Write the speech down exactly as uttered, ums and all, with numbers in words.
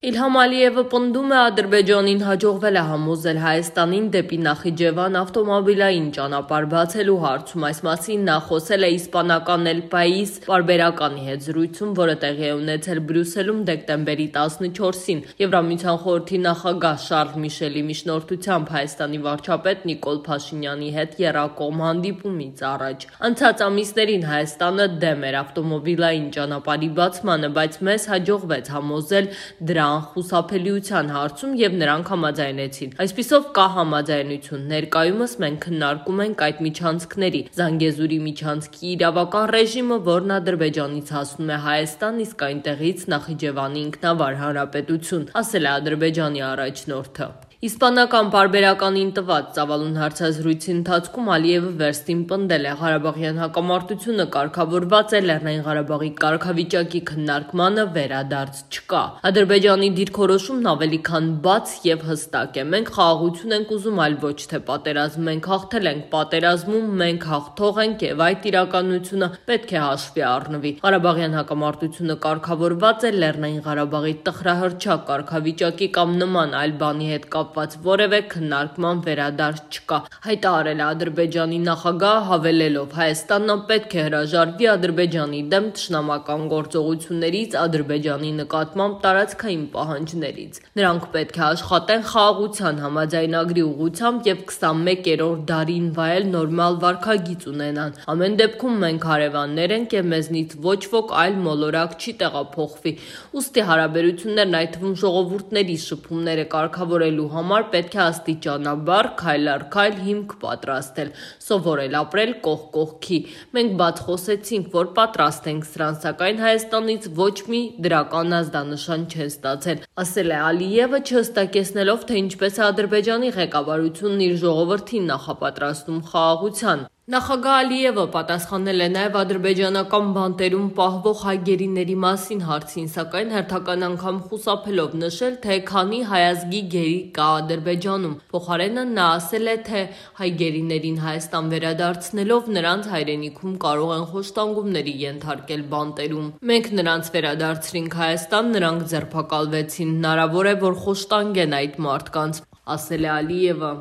Իլհամ Ալիևը պնդում է Ադրբեջանին հաջողվել է համոզել Հայաստանին դեպի Նախիջևան ավտոմոբիլային ճանապարհ բացելու հարցում, այս մասին նա խոսել է իսպանական El País պարբերականի հետ զրույցում, որը տեղի է ունեցել Բրյուսելում դեկտեմբերի տասնչորսին Եվրամիության խորհրդի նախագահ Շարլ Միշելի միջնորդությամբ Հայաստանի վարչապետ Նիկոլ Փաշինյանի հետ եռակողմ հանդիպումից առաջ։ Անցած ամիսներին Հայաստանը դեմ էր ավտոմոբիլային ճանապարհի բացմանը, բայց մեզ հաջողվեց համոզել դրա խուսափելիության հարցում և նրանք համաձայնեցին։ Այսպիսով կա համաձայնություն։ Ներկայումս մենք քննարկում ենք այդ միջանցքների Զանգեզուրի միջանցքի իրավական ռեժիմը, որն Ադրբեջանից հասնում է Հայաստան, իսկ այնտեղից Նախիջևանի ինքնավար հանրապետություն, ասել է Ադրբեջանի առաջնորդը։ Իսպանական պարբերականին տված ծավալուն հարցազրույցի ընթացքում Ալիևը վերստին պնդել է՝ Ղարաբաղյան հակամարտությունը կարգավորված է, Լեռնային Ղարաբաղի կարգավիճակի քննարկմանը վերադարձ չկա։ Ադրբեջանի դիրքորոշումն ավելի քան բաց և հստակ է։ Մենք խաղաղություն ենք ուզում, այլ ոչ թե պատերազմ։ Մենք հաղթել ենք պատերազմում, մենք հաղթող ենք և այդ իրականությունը պետք է հաշվի առնվի։ Ղարաբաղյան հակամարտությունը կարգավորված է, Լեռնային Ղարաբաղի տխրահռչակ կարգավիճակի կամ նման այլ բանի հետ կապված որևէ քննարկման վերադարձ չկա, հայտարարել է Ադրբեջանի նախագահը, հավելելով՝ Հայաստանն անպետք է հրաժարվի Ադրբեջանի դեմ թշնամական գործողություններից, Ադրբեջանի նկատմամբ տարածքային պահանջներից։ Նրանք պետք է աշխատեն խաղաղության համաձայնագրի ուղղությամբ և քսանմեկերորդ դարին վայել նորմալ վարքագիծ ունենան։ Ամեն դեպքում մենք հարևաններ ենք և մեզնից ոչ ոք այլ մոլորակ չի տեղափոխվի։ Ուստի հարաբերություններն, այդ թվում ժողովուրդների շփումները կարգավորելու համար պետք է աստիճանաբար, քայլ առ քայլ հիմք պատրաստել, սովորել ապրել կողք կողքի։ Մենք բաց խոսեցինք, որ պատրաստ ենք սրան, սակայն Հայաստանից ոչ մի դրական ազդանշան չեն ստացել, ասել է Ալիևը, չհստակեցնելով, թե ինչպես է Ադրբեջանի ղեկավարությունն իր ժողովրդին նախապատրաստում խաղաղության։ Նախագահ Ալիևը պատասխանել է նաև ադրբեջանական բանտերում պահվող հայ գերիների մասին հարցին, սակայն հերթական անգամ խուսափելով նշել, թե քանի հայ ազգի գերի կա Ադրբեջանում։ Փոխարենը նա ասել է, թե հայ գերիներին Հայաստան վերադարձնելով նրանց հայրենիքում կարող են խոշտանգումների ենթարկել բանտերում։ Մենք նրանց վերադարձրինք Հայաստան, նրանք ձերբակալվեցին, հնարավոր է, որ խոշտանգեն այդ մարդկանց, ասել է Ալիևը։